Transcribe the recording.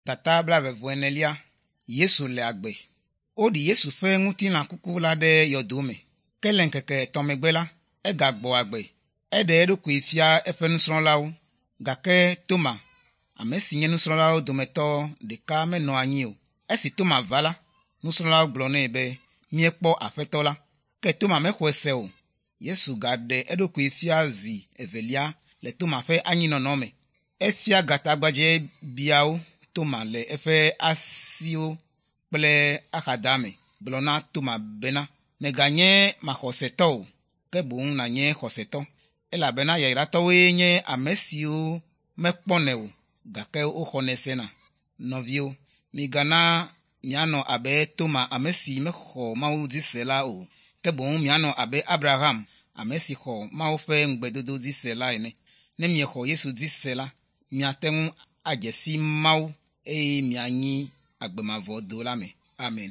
Tata blaeve-vɔ-enelia Yesu le agbe. Woɖi Yesu ƒe ŋutilã kuku la ɖe yɔdo me. Ke le ŋkeke etɔ̃ megbe la, egagbɔ agbe. Eɖe eɖokui fia eƒe nusrɔ̃lawo. Gake Toma, ame si nye nusrɔ̃lawo dometɔ ɖeka menɔ anyi o. Esi Toma va la, nusrɔ̃lawo gblɔ nɛ be, “Míekpɔ Aƒetɔ la.” Ke Toma mexɔe se o. Yesu gaɖe eɖokui fia zi evelia le Toma ƒe anyinɔnɔ me. Efia gatagbadzɛbiawo Toma le eƒe asiwo kple axadame gblɔ na Toma bena, “Mèganye maxɔsetɔ o, ke boŋ nànye xɔsetɔ.” Elabena yayratɔwoe nye ame siwo mekpɔnɛ o, gake woxɔnɛ sena. Nɔviwo, migana mianɔ abe Toma ame si mexɔ Mawu dzi se la o, ke boŋ mianɔ abe Abraham, ame si xɔ Mawu ƒe ŋugbedodo dzi se la ene. Ne miexɔ Yesu dzi se la, miate ŋu adze si Mawu eye mianyi agbe mavɔ do la me. Amen.